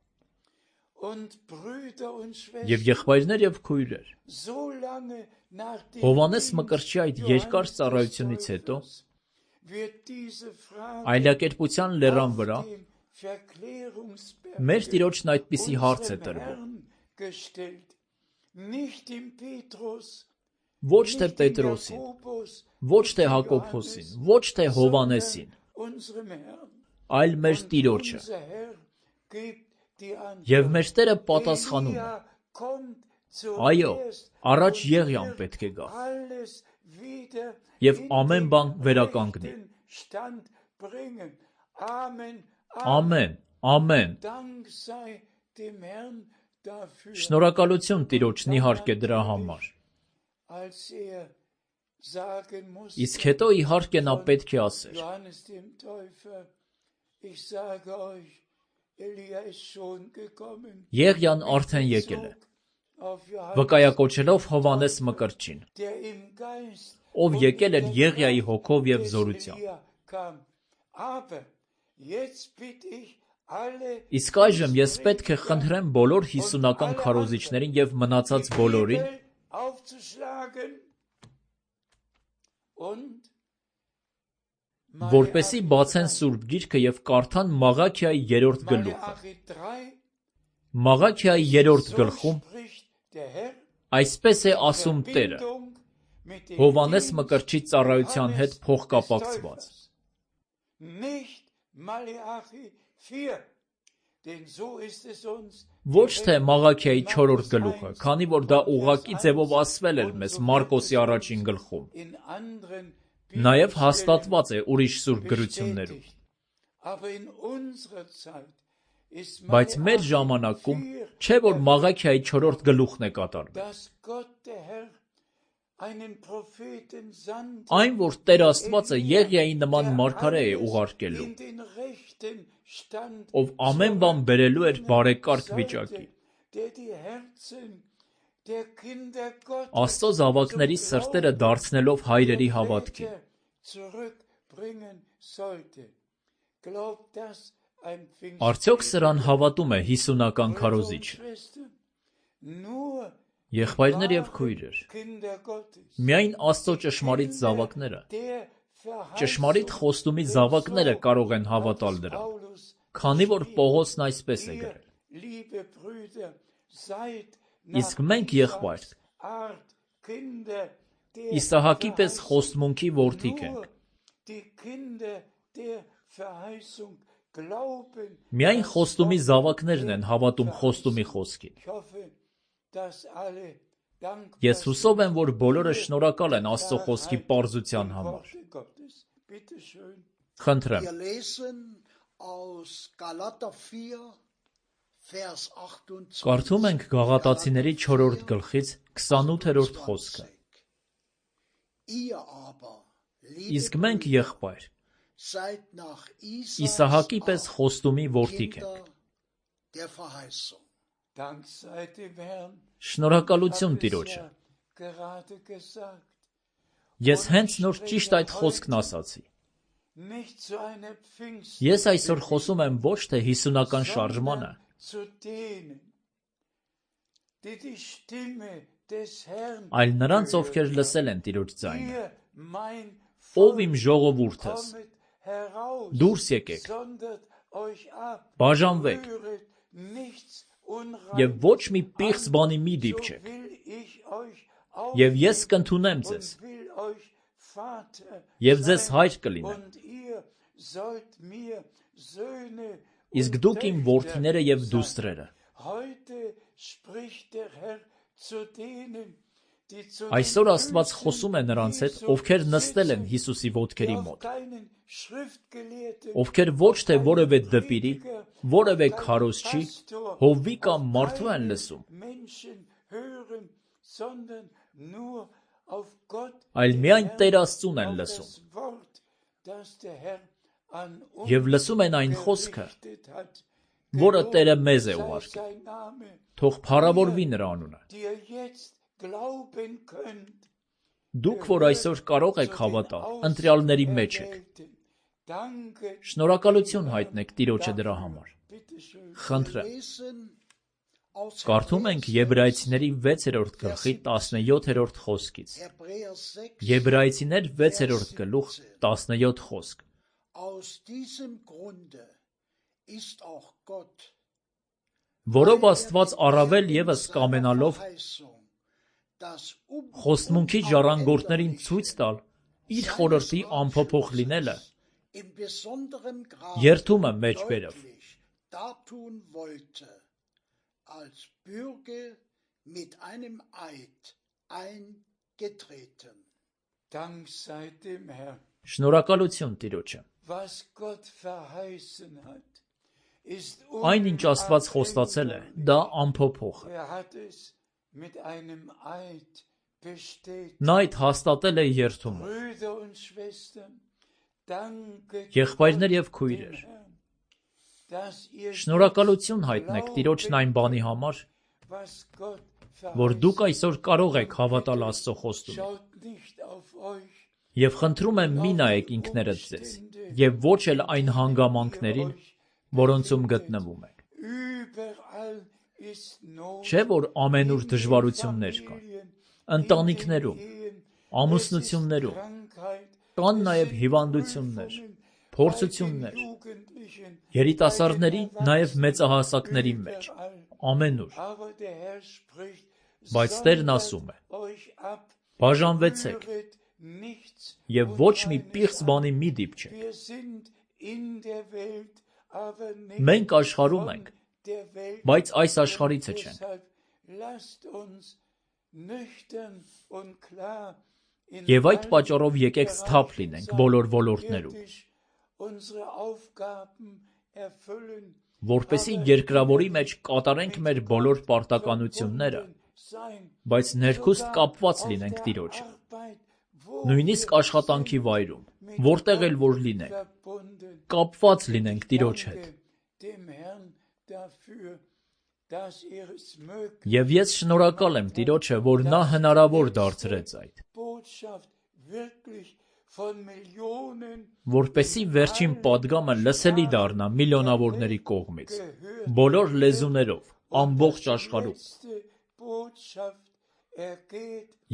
und Brüder und Եվ Schwestern, եղբայրներ եւ քույրեր, so lange nach dem Հովհաննես Dienst Մկրտչի այդ Johannes երկար des ծառայությունից հետո Täufers wird diese Frage այլակերպության լերան վրա auf dem Verklärungsberg մեր Տիրոջն այդպիսի հարց է unserem տրվում. Herrn gestellt. Nicht dem Petrus, Ոչ թե nicht dem Պետրոսին, Jakobus, ոչ թե Հակոբոսին, ոչ թե Հովհաննեսին, sondern unserem Herrn. այլ մեր Und Տիրոջը։ unser Herr gibt die Antwort. Եվ մեր Տերը պատասխանում է. Elia kommt Այո, zuerst առաջ und Եղիան wird պետք է գա։ alles wieder Եվ in ամեն den բան վերականգնի։ rechten Stand bringen. Amen. Ամեն, ամեն։ Dank sei dem Herrn dafür. Շնորհակալություն Տիրոջն իհարկե դրա համար։ Als er sagen musste, Իսկ հետո իհարկե նա պետք է ասեր. Johannes dem Täufer, ich sage euch, Elia ist schon gekommen. Եղիան արդեն եկել է, Auf Johannes, վկայակոչելով Հովհաննես Մկրտչին, der im Geist ով und եկել in էր der Եղիայի Kraft հոգով եւ des զորությամբ։ Elia kam. Aber jetzt bitte ich alle Իսկ այժմ ես պետք է խնդրեմ բոլոր հիսունական քարոզիչներին եւ մնացած die բոլորին, Bibel aufzuschlagen und որպեսի բացեն Սուրբ Գիրքը եւ կարդան Մաղաքիայի երրորդ գլուխը։ Մալախի drei, Մաղաքիայի երրորդ so գլխում spricht der Herr, այսպես է ասում Տերը, Verbindung mit dem Հովհաննես Dienst Մկրտչի ծառայության հետ Johannes փոխկապակցված։ des Täufers. Nicht Maleachi vier, denn so ist es uns Ոչ թե Մաղաքիայի չորրորդ գլուխը, քանի որ դա ուղղակի ձևով ասվել էր մեզ Մարկոսի առաջին գլխում։ in anderen Նաև հաստատված է ուրիշ սուրբ գրություններում։ bestätigt. Aber in unserer Zeit ist Բայց մեր Maleachi ժամանակում vier չէ որ Մաղաքիայի չորրորդ գլուխն է կատարվել։ dass Gott der Herr einen Propheten sandte, Այն որ Տեր Աստվածը Եղիայի նման մարգարե է ուղարկելու, in den rechten Stand ով ամեն բան բերելու էր բարեկարգ վիճակի։ der die Herzen der Kinder Gottes Աստծո զավակների սրտերը դարձնելով հայրերի հավատքի։ zurückbringen sollte. Glaubt das ein Արդյոք սրան հավատում է հիսունական քարոզիչը։ Nur Եղբայրներ եւ քույրեր, Kinder Gottes, միայն Աստծո ճշմարիտ զավակները, der ճշմարիտ խոստումի զավակները կարող են հավատալ դրան, Paulus, քանի որ Պողոսն այսպես է ihr, գրել. liebe Brüder, seid Իսկ մենք եղբայր, Art Kinder der Իսահակի պես Verheißung. խոստմունքի որդիկ ենք։ Nur die Kinder der Verheißung glauben. Միայն խոստումի զավակներն են հավատում խոստումի խոսքին։ Ich hoffe, dass alle dankbar Ես հուսով եմ, որ բոլորը շնորհակալ են Աստծո խոսքի պարզության համար։ Worte Gottes. Bitte schön. Խնդրեմ, Wir lesen aus Galater vier, Vers achtundzwanzig. կարդում ենք Գաղատացիների չորրորդ գլխից քսանութերորդ խոսքը։ Ihr aber, Իսկ liebe մենք Brüder, եղբայր, seid nach Իսահակի պես Isaaks խոստումի որդիկ ենք։ Kinder der Verheißung. Dank sei dem Herrn. Շնորհակալություն Ich habe es Տիրոջը։ ja gerade gesagt. Ես հենց նոր ճիշտ այդ խոսքն ասացի։ Nicht zu einer Pfingst, Ես այսօր խոսում եմ ոչ թե հիսունական շարժմանը, zu denen, die die Stimme des Herrn այլ նրանց, hören. ովքեր լսել են Տիրոջ ձայնը։ Ihr, mein Ով Volk, իմ ժողովուրդս, kommet heraus, դուրս եկեք, sondert euch ab, բաժանվեք rühret nichts եւ Unreines ոչ մի պիղծ an, բանի մի so դիպչեք։ will ich euch Եվ ես aufnehmen կընդունեմ ձեզ, und will euch Vater եւ ձեզ sein, հայր կլինեմ։ und ihr sollt mir Söhne Իսկ und դուք իմ Töchter որդիները եւ sein. դուստրերը։ Heute spricht der Herr zu denen, die zu Այսօր den Աստված Füßen խոսում է նրանց հետ, Jesu ովքեր նստել են sitzen, Հիսուսի ոտքերի die auf մոտ, keinen Schriftgelehrten, ովքեր ոչ թե auf որևէ keinen դպիրի, Prediger, որևէ auf keinen քարոզչի, Pastor, հովվի կամ auf մարդու են keinen լսում, Menschen hören, sondern nur auf Gott, այլ den միայն Herrn, Տեր Աստծուն են auf լսում։ das Wort Եվ լսում են այն խոսքը, որը Տերը մեզ է ուղարկել։ Թող փառավորվի նրա անունը։ Դուք, որ այսօր կարող եք հավատալ, ընտրյալների մեջ եք։ Շնորհակալություն հայտնեք Տիրոջը դրա համար։ Խնդրեմ։ Կարդում ենք Եբրայեցիների վեցերորդ գլխի տասնյոթերորդ խոսքից։ Եբրայեցիներ վեցերորդ գլուխ տասնյոթ խոսք։ Որով Աստված առավել ևս կամենալով խոստմունքի ժառանգորդներին ցույց տալ իր խորհրդի անփոփոխ լինելը, երդումը մեջ բերավ։ Als Bürge mit einem Eid eingetreten. Dank sei dem Herrn. Շնորհակալություն Տիրոջը։ Was Gott verheißen hat, ist Այն ինչ Աստված խոստացել է, դա անփոփոխ է։ Er hat es mit einem Eid bestätigt. Նա այդ հաստատել է երդումը։ Brüder und Schwestern, danke Եղբայրներ եւ քույրեր, շնորհակալություն հայտնեք Տիրոջն այն բանի համար, որ դուք այսօր կարող եք հավատալ Աստծո խոստումին։ Եվ խնդրում եմ մի նայեք ինքներդ ձեզ, եւ ոչ էլ այն հանգամանքներին, որոնցում գտնվում եք։ Չէ՞ որ ամենուր դժվարություններ կան, ընտանիքներում, ամուսնություններում, կան նաեւ հիվանդություններ, փորձություններ, երիտասարդների, նաև մեծահասակների մեջ, ամենուր։ Բայց Տերն ասում է. բաժանվեցեք եւ ոչ մի պիղծ բանի մի դիպչեք։ Մենք աշխարհում ենք, բայց այս աշխարհիցը չենք։ Եվ այդ պատճառով եկեք սթափ լինենք բոլոր ոլորտներում, որպեսզի երկրավորի մեջ կատարենք մեր բոլոր պարտականությունները, բայց ներքուստ կապված լինենք Տիրոջը, նույնիսկ աշխատանքի վայրում, որտեղ էլ որ լինենք, կապված լինենք Տիրոջ հետ։ Եվ ես շնորհակալ եմ Տիրոջը, որ նա հնարավոր դարձրեց այդ, որպեսզի վերջին պատգամը լսելի դառնա միլիոնավորների կողմից, բոլոր լեզուներով, ամբողջ աշխարհում։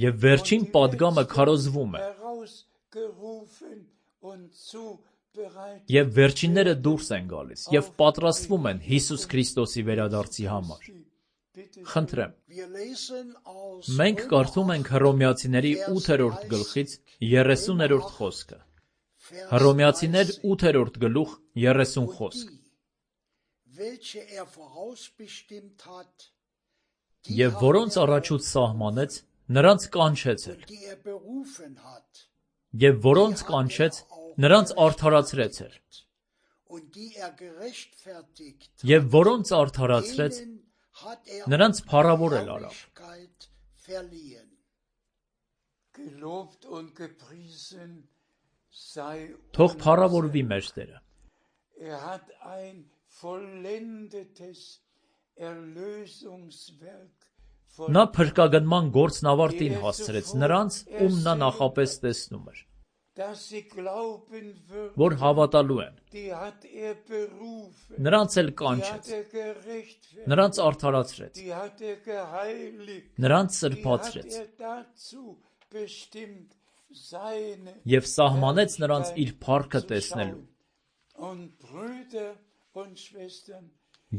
Եվ վերջին պատգամը քարոզվում է, եւ վերջինները դուրս են գալիս եւ պատրաստվում են Հիսուս Քրիստոսի վերադարձի համար։ Խնդրեմ։ Մենք կարդում ենք Հռոմեացիների ութերորդ գլխից երեսուներորդ խոսքը։ Հռոմեացիներ ութերորդ գլուխ երեսուն խոսք։ Եվ որոնց առաջուց սահմանեց, նրանց կանչեց էլ։ Եվ որոնց կանչեց, նրանց արդարացրեց էլ։ Եվ որոնց արդարացրեց, նրանց փառավորել արավ։ Թող փառավորվի մեր Տերը։ Նա փրկագնման գործն ավարտին հասցրեց նրանց, ում նա նախապես տեսնում էր, որ հավատալու են։ Նրանց էլ կանչեց, նրանց արդարացրեց, նրանց սրբացրեց և սահմանեց նրանց իր փառքը տեսնելու։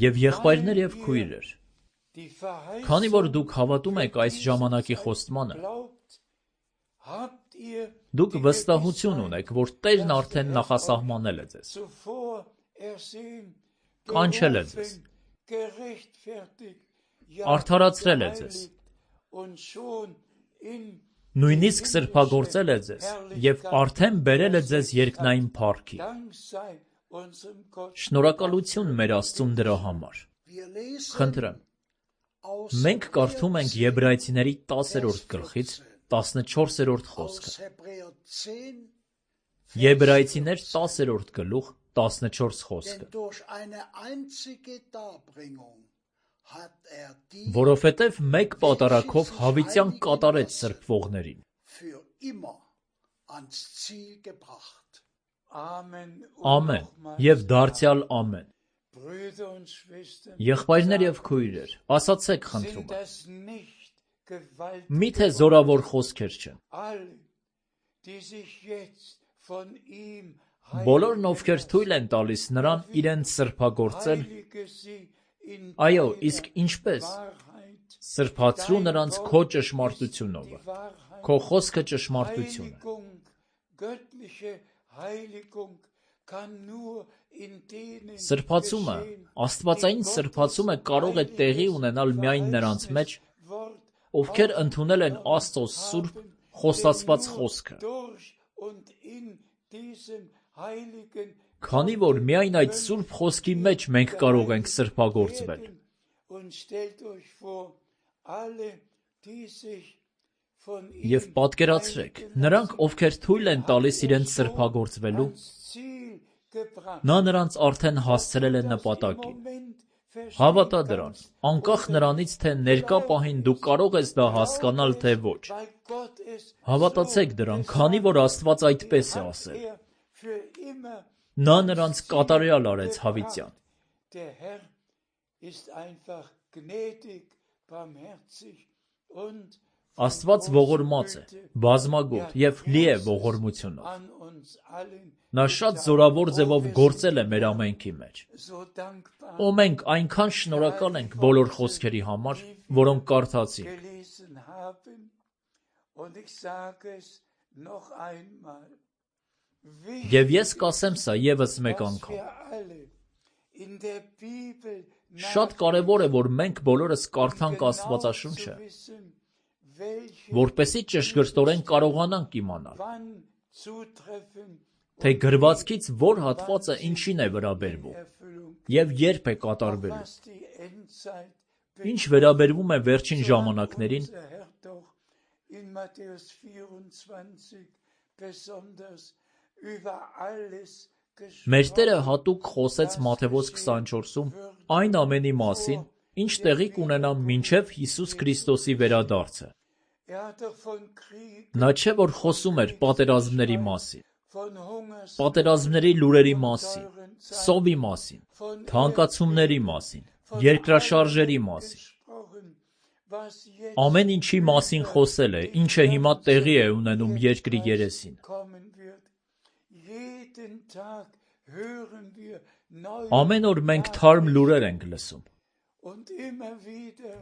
Եվ եղբայրներ և քույրեր, քանի որ դուք հավատում եք այս ժամանակի խոստմանը, դուք վստահություն ունեք, որ Տերն արդեն նախասահմանել է ձեզ, կանչել է ձեզ, արդարացրել է ձեզ, նույնիսկ սրբագործել է ձեզ և արդեն բերել է ձեզ երկնային փառքի։ Շնորհակալություն մեր Աստծուն դրա համար։ Խնդրեմ։ Մենք կարդում ենք Եբրայեցիների տասերորդ գլխից տասնչորսերորդ խոսքը։ Եբրայեցիներ տասերորդ գլուխ տասնչորս խոսքը։ Denn durch eine einzige Darbringung hat er die Որովհետև մեկ պատարագով հավիտյան կատարեց սրբվողներին։ für immer ans Ziel gebracht. Amen. Ամեն եւ դարձյալ ամեն։ Brüder und Schwestern, Եղբայրներ եւ քույրեր, ասացեք խնդրում sind եմ, das nicht gewaltige միթե զորավոր խոսքեր չեն։ alle, die sich jetzt von ihm Բոլորն, ովքեր թույլ են տալիս նրան իրենց սրբագործել, heilige sie in այո, deiner իսկ ինչպես Wahrheit, սրբացրու նրանց քո ճշմարտությունով, die Wahrheit, քո խոսքը ճշմարտություն է։ Heiligung, göttliche Heiligung kann nur in denen Սրբացումը, geschehen, աստվածային die սրբացումը Gottes կարող է տեղի heiliges ունենալ միայն նրանց մեջ, Wort ովքեր ընդունել են Աստծո սուրբ խոստացված խոսքը։ durch und in diesem heiligen Քանի որ միայն այդ սուրբ խոսքի մեջ մենք կարող ենք սրբագործվել։ und stellt euch vor, alle, die sich von Եվ պատկերացրեք, նրանք, ովքեր թույլ են տալիս իրենց սրբագործվելու, նա նրանց արդեն հասցրել է նպատակին։ Հավատա դրան, անկախ նրանից, թե ներկա պահին դու կարող ես դա հասկանալ, թե ոչ։ Հավատացեք դրան, քանի որ Աստված այդպես է ասել։ Նա նրանց կատարյալ արեց հավիտյան։ Der Herr ist einfach gnädig, barmherzig und Աստված ողորմած է, բազմագոտ եւ լի է ողորմությունով։ an uns allen Նա շատ զորավոր ձևով գործել է մեր ամենքի մեջ։ so dankbar Ու մենք այնքան շնորհակալ ենք բոլոր խոսքերի համար, որոնք կարդացինք։ gelesen haben. Und ich sage es noch einmal. Եվ ես կասեմ սա եւս մեկ անգամ։ Wir alle in der Bibel Շատ կարևոր է, որ մենք բոլորս կարդանք Աստվածաշունչը, wissen, welche որպեսզի ճշգրտորեն կարողանանք իմանալ, wann zutreffen թե գրվածքից որ հատվածը ինչին է վերաբերվում Erfüllung, եւ երբ է կատարվելու։ was die Endzeit Ինչ վերաբերվում է վերջին ժամանակներին, unser Herr doch in Matthäus vierundzwanzig besonders über alles մեր Տերը հատուկ խոսեց Մատթեոս քսանչորսում այն ամենի մասին, ինչ տեղի կունենա մինչև Հիսուս Քրիստոսի վերադարձը։ Er hat doch von Krieg, Նա չէ որ խոսում էր պատերազմների մասին, von Hungers, պատերազմների լուրերի մասին, սովի մասին, թանկացումների մասին, երկրաշարժերի մասին, gesprochen, was jetzt ամեն ինչի մասին խոսել է, ինչը հիմա տեղի է ունենում երկրի երեսին։ kommen wird. Jeden Tag hören wir neue Ամեն օր մենք թարմ լուրեր ենք լսում, und immer wieder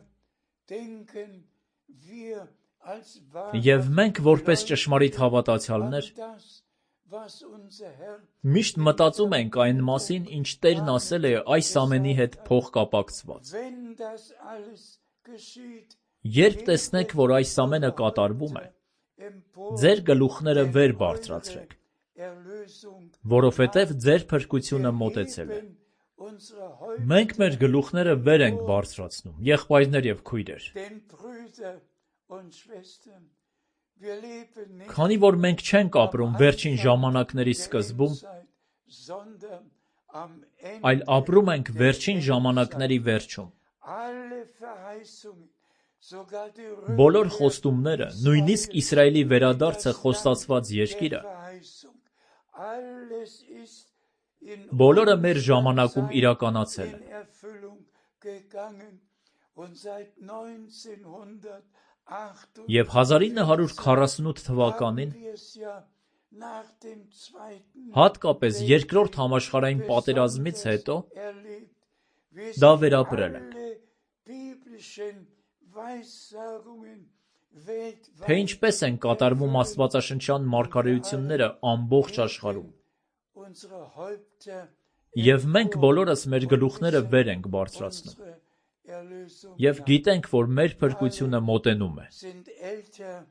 denken wir als եւ մենք որպես ճշմարիտ հավատացյալներ das, was unser Herr միշտ մտածում ենք այն մասին, ինչ Տերն ասել է այս ամենի հետ փոխկապակցված։ wenn das alles geschieht, Երբ տեսնեք, որ այս ամենը կատարվում է, empor ձեր գլուխները վեր բարձրացրեք, Erlösung որովհետև ձեր փրկությունը մոտեցել է։ unserer Häupter, Մենք մեր գլուխները վեր ենք բարձրացնում, եղբայրներ եւ քույրեր, denn Brüder und Schwestern, wir leben nicht քանի որ մենք չենք ապրում վերջին ժամանակների սկզբում, Zeit, sondern am Ende այլ ապրում ենք վերջին ժամանակների վերջում։ alle Verheißungen, sogar die Բոլոր խոստումները, նույնիսկ Իսրայելի վերադարձը խոստացված երկիրը, Verheißung, alles ist in բոլորը մեր ժամանակում իրականացել in են։ Erfüllung gegangen und seit neunzehnhundertachtundachtzig Եվ հազար ինը հարյուր քառասունութ թվականին, haben wir es ja nach dem Zweiten հատկապես երկրորդ համաշխարհային պատերազմից հետո, erlebt, wie դա sich վերապրել ենք։ alle biblischen Weissagungen weltweit Թե ինչպես են կատարվում աստվածաշնչյան մարգարեությունները ամբողջ աշխարհում։ unsere Häupter Եվ մենք բոլորս մեր գլուխները վեր ենք բարձրացնում։ unsere Erlösung Եվ գիտենք, որ մեր փրկությունը մոտենում է։ sind älter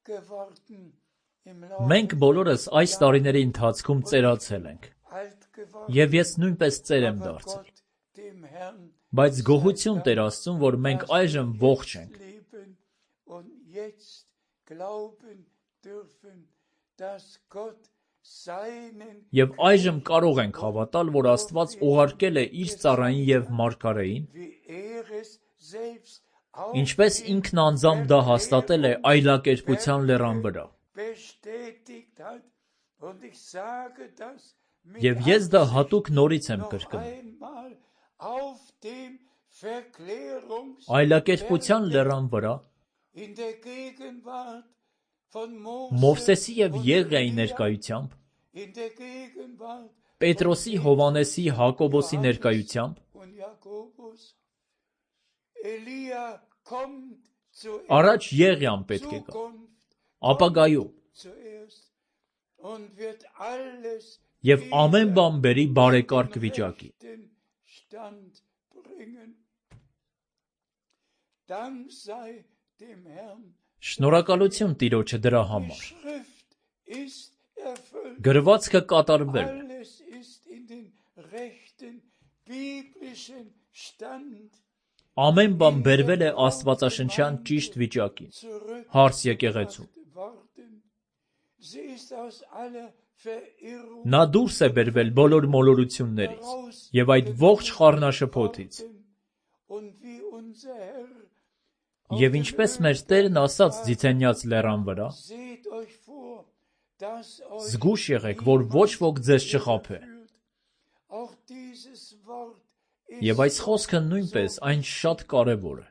geworden im Laufe Մենք բոլորս այս տարիների ընթացքում ծերացել ենք։ alt geworden, Եվ ես նույնպես ծեր եմ դարձել։ Gott dem Herrn Բայց գոհություն Տեր Աստծուն, որ մենք այժմ ողջ ենք։ leben und jetzt glauben dürfen, dass Gott Եվ այժմ կարող ենք հավատալ, որ Աստված ուղարկել է իր ծառային և մարգարեին, ինչպես ինքն անձամբ դա հաստատել է այլակերպության լեռան վրա։ Եվ ես դա հատուկ նորից եմ կրկնում։ Այլակերպության լեռան վրա Մովսեսի և Եղիայի ներկայությամբ, Պետրոսի, Հովհաննեսի, Հակոբոսի ներկայությամբ, առաջ Եղիան պետք է գա, ապագայում, և ամեն բան բերի բարեկարգ վիճակի։ Շնորհակալություն Տիրոջը դրա համար։ Գրվածքը կատարվել է։ Ամեն բան բերվել է աստվածաշնչյան ճիշտ վիճակին, հարս եկեղեցում։ Նա դուրս է բերվել բոլոր մոլորություններից և այդ ողջ խառնաշփոթից։ Եվ ինչպես մեր Տերն ասաց Ձիթենյաց լեռան վրա, զգույշ եղեք, որ ոչ ոք ձեզ չխաբե։ Եվ այս խոսքը նույնպես այն շատ կարևոր է։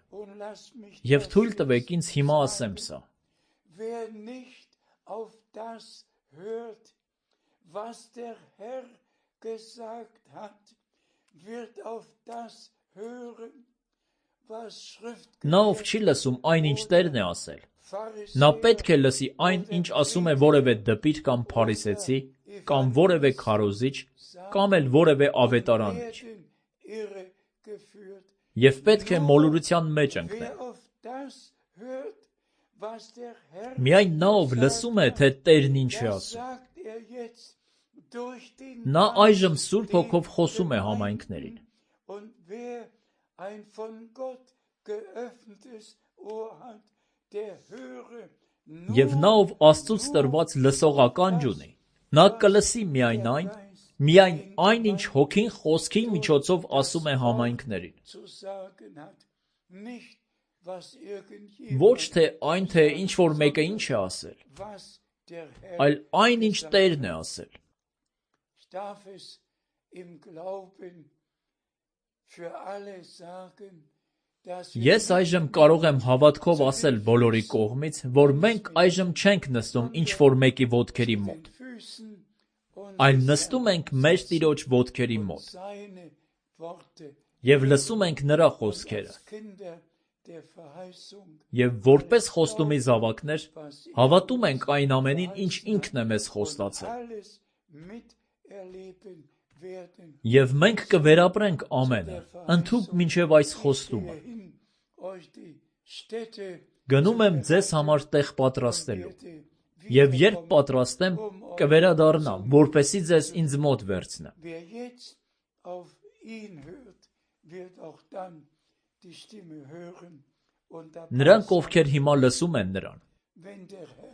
Եվ թույլ տվեք ինձ հիմա ասեմ սա։ Նա, ով չի լսում այն, ինչ Տերն է ասել, նա պետք է լսի այն, ինչ ասում է որևէ դպիր կամ փարիսեցի, կամ որևէ քարոզիչ, կամ էլ որևէ ավետարանիչ։ Եվ պետք է մոլորության մեջ ընկնել։ Միայն նա, ով լսում է, թե Տերն ինչ է ասում։ Նա այժմ Սուրբ Հոգով խոսում է համայնքներին։ Եվ նա, ով Աստծուց տրված լսողականջ ունի, նա կլսի միայն այն, միայն այն, ինչ Հոգին խոսքի միջոցով ասում է համայնքներին։ Ոչ թե այն, թե ինչ-որ մեկը ինչ է ասել, այլ այն, ինչ Տերն է ասել։ Ես այժմ կարող եմ հավատքով ասել բոլորի կողմից, որ մենք այժմ չենք նստում ինչ-որ մեկի ոտքերի մոտ, այլ նստում ենք մեր Տիրոջ ոտքերի մոտ և լսում ենք նրա խոսքերը։ Եվ որպես խոստումի զավակներ, հավատում ենք այն ամենին, ինչ ինքն է մեզ խոստացել։ Եվ մենք կվերապրենք ամենը, ընդհուպ մինչև այս խոստումը։ Գնում եմ ձեզ համար տեղ պատրաստելու, և երբ պատրաստեմ, կվերադառնամ, որպեսզի ձեզ ինձ մոտ վերցնեմ։ Նրանք, ովքեր հիմա լսում են նրան,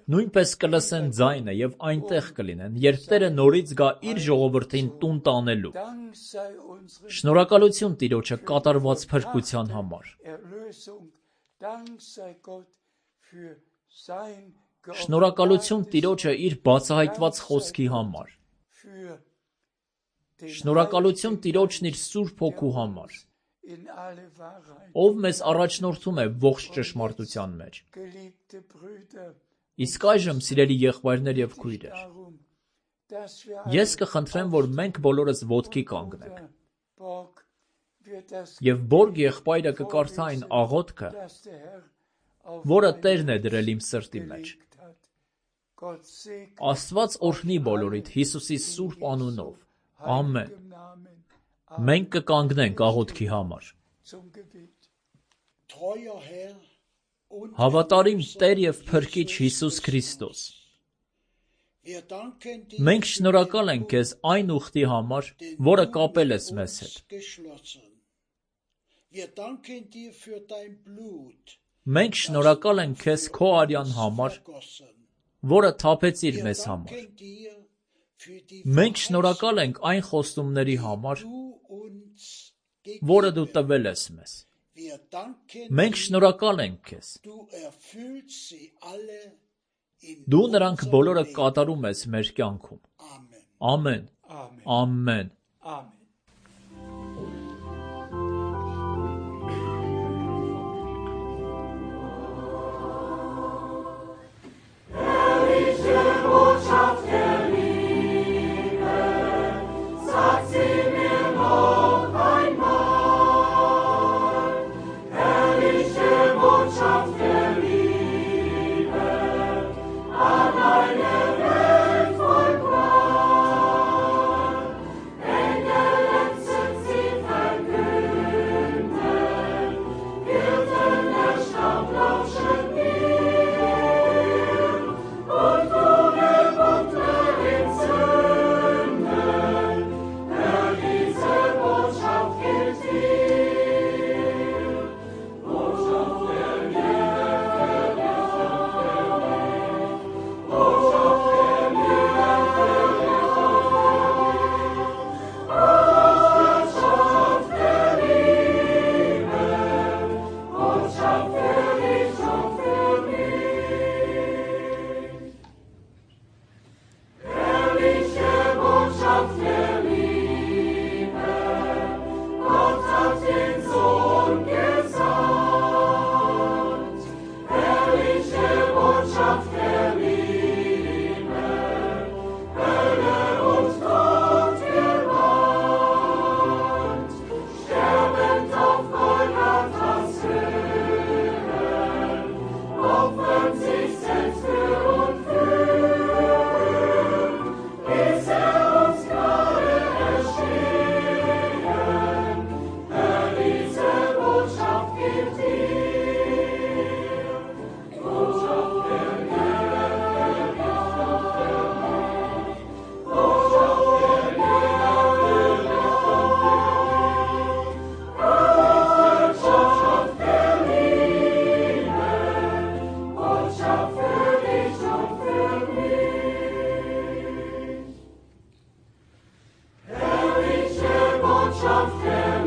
նույնպես կլսեն ձայնը և այնտեղ կլինեն, երբ Տերը նորից գա իր ժողովրդին տուն տանելու։ Շնորհակալություն Տիրոջը կատարված փրկության համար։ Շնորհակալություն Տիրոջը իր բացահայտված խոսքի համար։ Շնորհակալություն Տիրոջն իր Սուրբ Հոգու համար, ով մեզ առաջնորդում է ողջ ճշմարտության մեջ։ Իսկ այժմ, սիրելի եղբայրներ և քույրեր, ես կխնդրեմ, որ մենք բոլորս ոտքի կանգնենք, և Բորգ եղբայրը կկարդա այն աղոթքը, որը Տերն է դրել իմ սրտի մեջ։ Աստված օրհնի բոլորիդ Հիսուսի սուրբ անունով։ Ամեն։ Մենք կկանգնենք աղոթքի համար։ Հավատարիմ Տեր և Փրկիչ Հիսուս Քրիստոս, մենք շնորհակալ ենք Քեզ այն ուխտի համար, որը կապել ես մեզ հետ։ Մենք շնորհակալ ենք Քեզ Քո արյան համար, որը թափեցիր մեզ համար։ Մենք շնորհակալ ենք այն խոստումների համար, որը դու տվել ես մեզ։ Մենք շնորհակալ ենք քեզ։ Դու նրանք բոլորը կատարում ես մեր կյանքում։ Ամեն։ Ամեն։ Amen. Herrliche Botschaft der